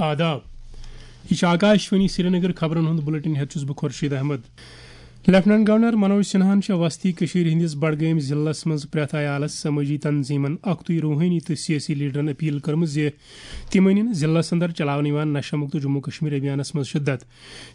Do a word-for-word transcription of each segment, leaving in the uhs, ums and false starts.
آداب۔ یہ چھُ آکاشوانی سرینگر۔ خبرن ہُنٛد بلیٹن ہیتھ چھُس بہٕ خورشید احمد۔ لیفٹیننٹ گورنر منوج سنہاہن چھےٚ وسطی کٔشیٖرِ ہٕنٛدِس بڈگٲمۍ ضلعس منٛز پرٛٮ۪تھ عیالس، سمٲجی تنظیمن، اکھتُے روحٲنی تہٕ سیٲسی لیڈرن اپیل کٔرمٕژ زِ تِم أنِن ضلعس اندر چلاونہٕ یِوان نشہ مکت جموں کشمیر ابھیانس منٛز شدت۔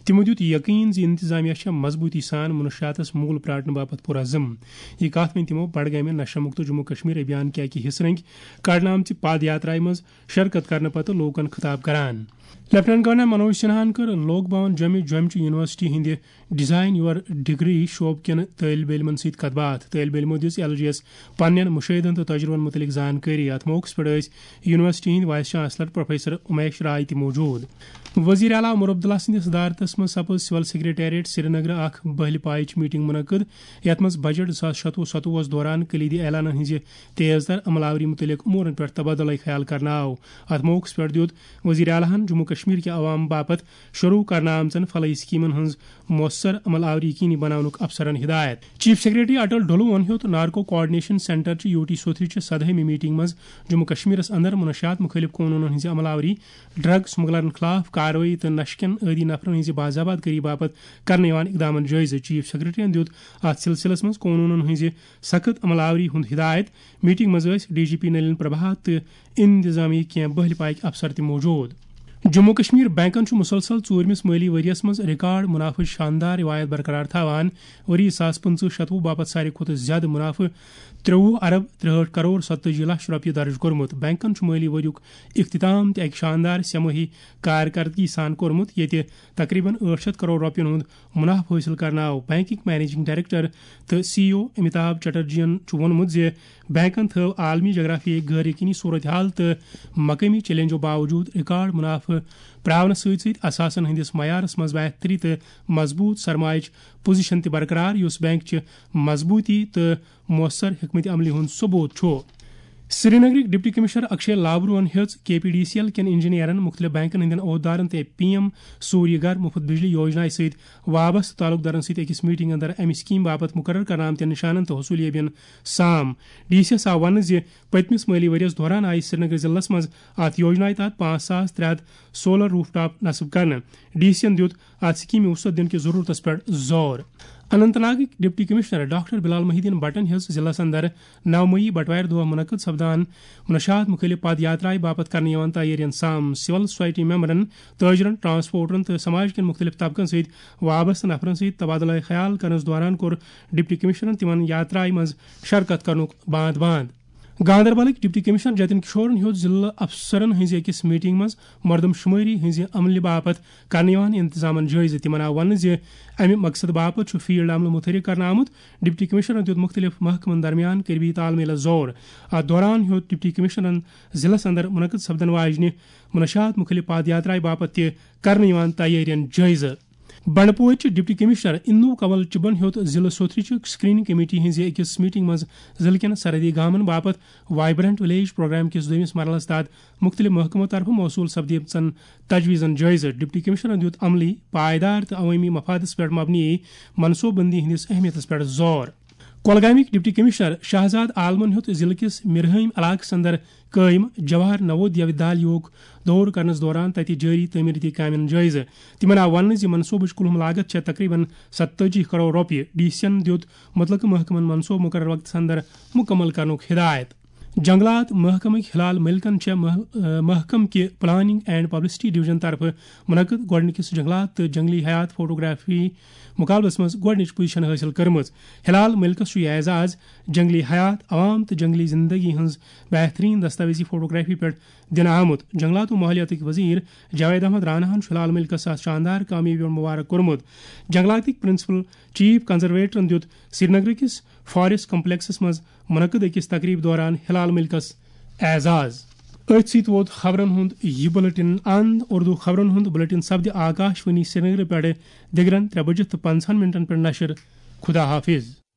تِمو دیُت یقین زِ انتظامیہ چھےٚ مضبوٗطی سان منشیاتس موٗل پراٹنہٕ باپتھ پُرعزم۔ یہِ کتھ ؤنۍ تِمو بڈگامہِ نشہ مکت جموں کشمیر ابھیان کہِ اکہِ حصہٕ رنگۍ کڑنہٕ آمژِ پد یاترایہِ منٛز شرکت کرنہٕ پتہٕ لوٗکن خطاب کران۔ لیفٹیننٹ گورنر منوج سنہاہن کٔر لوک بھون جوٚمہِ جوٚمہِ چہِ یونیورسٹی ہٕنٛدِ ڈیزائن یور ڈگری شعبہٕ کٮ۪ن طٲلبہِ علمن سۭتۍ کتھ باتھ۔ طٲلبہِ علمو دِژ ایل جی یس پننٮ۪ن مُشٲہدن تہٕ تجرُبن مُتعلق زانکٲری۔ اتھ موقعس پٮ۪ٹھ ٲسۍ یونیورسٹی ہٕنٛدۍ وائس چانسلر پروفیسر امیش راے تہِ موجود۔ وزیر اعلیٰ عمر عبداللہ سٕنٛدِس صدارتس منٛز سپٕز سول سیکرٹریٹ سرینگرٕ اکھ بہلہِ پایچ میٹنگ منعقد، یتھ منٛز بجٹ زٕ ساس شتوُہ ستوُہس دوران کلیدی اعلانن ہٕنٛزِ تیز تر عمل آوری مُتعلق امورن پٮ۪ٹھ تبادلہ خیال کرنہٕ آو۔ اتھ موقعس پٮ۪ٹھ دیُت وزیر اعلیٰ ہن جموں کشمیر کہِ عوام باپتھ شروع کرنہٕ آمژن فلاحی سکیمن ہٕنٛز مؤثر عمل آوری یقینی بناونُک افسرن ہدایت۔ چیف سیکرٹری اٹل ڈھلوون ہیوٚت نارکو کوآرڈینیشن سینٹر چہِ یوٹی سوتھرِ چہِ سدہٲمہِ میٹنگ منٛز جموں کشمیرس اندر منشیات مُخٲلف قونوٗنن ہٕنٛزِ عمل آوری، ڈرگ سمگلرن خلاف کاروٲیی تہٕ نشہٕ کٮ۪ن عٲدی نفرن ہٕنٛزِ باضابط کٲری باپتھ کرنہٕ یِوان اقدامن جٲیزٕ۔ چیف سیکرٹریَن دیُت اتھ سلسلس منٛز قونوٗنن ہٕنٛزِ سخت عمل آوری ہُنٛد ہدایت۔ میٹنگ منٛز ٲسۍ D G P Nalin Prabhat تہٕ انتظامیہ کینٛہہ بہلہِ پایکۍ افسر تہِ موجود۔ جموں کشمیر بینکن چھُ مسلسل ژوٗرمِس مٲلی ؤریَس منٛز ریکارڈ منافعٕچ شاندار روایت برقرار تھاوان۔ ؤری زٕ ساس پٕنٛژٕہ شتوُہ باپتھ ساروی کھۄتہٕ زیادٕ منافعہٕ ترٛوُہ ارب ترٛہٲٹھ کرور ستتٲجی لچھ رۄپیہِ درٕج کوٚرمُت۔ بینکن چھُ مٲلی ؤریُک اختتام تہِ اکہِ شاندار سہ مٲہی کارکردگی سان کوٚرمُت، ییٚتہِ تقریباً ٲٹھ شتھ کرور رۄپین ہُنٛد منافعہٕ حٲصِل کرنہٕ آو۔ بینکٕکۍ مینیجنگ ڈائریکٹر تہٕ سی ای او امیتابھ چٹرجیَن چھُ ووٚنمُت زِ بینکن تھٲو عالمی جغرافیائی غٲر یقینی صورتحال تہٕ مقٲمی چیلنجو باوجود ریکارڈ منافعہٕ پراونس سۭتۍ سۭتۍ اثاثن ہٕنٛدِس معیارس منٛز بہتری تہٕ مضبوط سرمایچ پوزیشن تہِ برقرار، یُس بینک چہِ مضبوٗطی تہٕ مؤثر حکمت عملی ہُنٛد ثبوت چھُ۔ سرینگرٕکۍ ڈپٹی کمشنر اکشے لابروہن ہیٚژ کے پی ڈی سی ایل کٮ۪ن انجینئرن، مُختٔلِف بینکن ہٕنٛدٮ۪ن عہدٕدارن تہٕ پی ایم سوریہ گھر مُفت بجلی یوجنا سۭتۍ وابستہٕ تعلقدارن سۭتۍ أکِس میٹنگ اندر امہِ سکیمہِ باپتھ مُقرر کرنہٕ آمتٮ۪ن نشانن تہٕ حصولیٲبین سام۔ ڈی سی یس آو وننہٕ زِ پٔتمِس مٲلی ؤریَس دوران آیہِ سرینگر ضلعس منٛز اتھ یوجنایہِ تحت پانٛژھ ساس ترٛےٚ ہتھ سولر روف ٹاپ نصب کرنہٕ۔ ڈی سی یَن دیُت اتھ سکیمہِ وسعت دِنہٕ کِس ضرورتس پٮ۪ٹھ زور۔ اننت ناگٕکۍ ڈپٹی کمشنر ڈاکٹر بلال محی الدین بٹن ہیٚژ ضلعس اندر نو مئی بٹوارِ دۄہ منعقد سپدان منشیات مُخٲلف پد یاترایہِ باپتھ کرنہٕ یِوان تیٲرین سام۔ سول سوسائٹی ممبرن، تاجرن، ٹرانسپورٹرن تہٕ سماج کٮ۪ن مُختٔلِف طبقن سۭتۍ وابستہٕ نفرن سۭتۍ تبادلہ خیال کرنس دوران کوٚر ڈپٹی کمشنرن تِمن یاترایہِ منٛز شرکت کرنُک باند باند۔ گاندربلٕکۍ ڈپٹی کمشنر جتن کشورن ہیوٚت ضلعہٕ افسرن ہٕنٛزِ أکِس میٹنگ منٛز مردم شمٲری ہٕنٛزِ عملہِ باپتھ کرنہٕ یِوان انتظامن جٲیزٕ۔ تِمن آو وننہٕ زِ امہِ مقصد باپتھ چھُ فیلڈ عملہٕ متحرک کرنہٕ آمُت۔ ڈپٹی کمشنرن دیُت مُختٔلِف محکمن درمیان قریبی تال میلس زور۔ اتھ دوران ہیوٚت ڈپٹی کمشنرن ضلعس اندر منعقد سپدن واجنہِ منشیات مُخٲلف پد یاترایہِ باپتھ تہِ کرنہٕ یِوان تیٲرین جٲیزٕ۔ بنڈپورچہِ ڈپٹی کمشنر اندو کنول چبن ہیوٚت ضلعہٕ سوتھرِ چہِ سکریننگ کمیٹی ہٕنٛزِ أکِس میٹنگ منٛز ضلعہٕ کٮ۪ن سرحدی گامن باپتھ وائبرنٹ ولیج پروگرام کِس دوٚیمِس مرحلس تحت مُختٔلِف محکمو طرفہٕ موصوٗل سپدیمژن تجویزن جٲیزٕ۔ ڈپٹی کمشنرن دیُت عملی، پائیدار تہٕ عوٲمی مفادس پٮ۪ٹھ مبنی منصوبہٕ بندی ہٕنٛدِس اہمیتس پٮ۪ٹھ زور۔ کۄلگامٕکۍ ڈپٹی کمشنر شہزاد عالمن ہیوٚت ضلعہٕ کِس مرہٲمۍ علاقس اندر قٲیِم جواہر نوودیا ودیالیہُک دورٕ کرنس دوران تتہِ جٲری تعمیٖرٲتی کامٮ۪ن جٲیزٕ۔ تِمن آو وننہٕ زِ منصوبٕچ کُلہُم لاگت چھےٚ تقریباً ستتٲجی کرور رۄپیہِ۔ ڈی سی یَن دیُت مُتعلقہٕ محکمن منصوبہٕ مُقرر وقتس اندر مُکمل کرنُک ہدایت۔ جنگلات محکمٕکۍ ہلال ملکن چھےٚ مح-، محکمہٕ کہِ پلاننگ اینڈ پبلسٹی ڈویژن طرفہٕ منعقد گۄڈٕنِکِس جنگلات تہٕ جنگلی حیات فوٹوگرافی مقابلس منٛز گۄڈٕنِچ پوزیشن حٲصِل کٔرمٕژ۔ ہلال ملکس چھُ یہِ اعزاز جنگلی حیات، عوام تہٕ جنگلی زندگی ہٕنٛز بہترین دستاویزی فوٹوگرافی پٮ۪ٹھ دِنہٕ آمُت۔ جنگلات و ماحولیاتٕکۍ وزیر جاوید احمد راناہن چھُ ہلال ملکس اتھ شاندار کامیٲبی پٮ۪ٹھ مبارک کوٚرمُت۔ جنگلاتٕکۍ پرنسپل چیف کنزرویٹرن دیُت سرینگر کِس فاریسٹ کمپلیکسس منٛز منعقد أکِس تقریب دوران ہلال ملکس اعزاز۔ أتھۍ سۭتۍ ووت خبرن ہُنٛد یہِ بلیٹن اند۔ اردو خبرن ہُنٛد بلیٹن سپدِ آکاشوانی سرینگر پٮ۪ٹھٕ دِگرن ترٛےٚ بجہِ تہٕ پنٛژاہن منٹن پٮ۪ٹھ نشر۔ خدا حافظ۔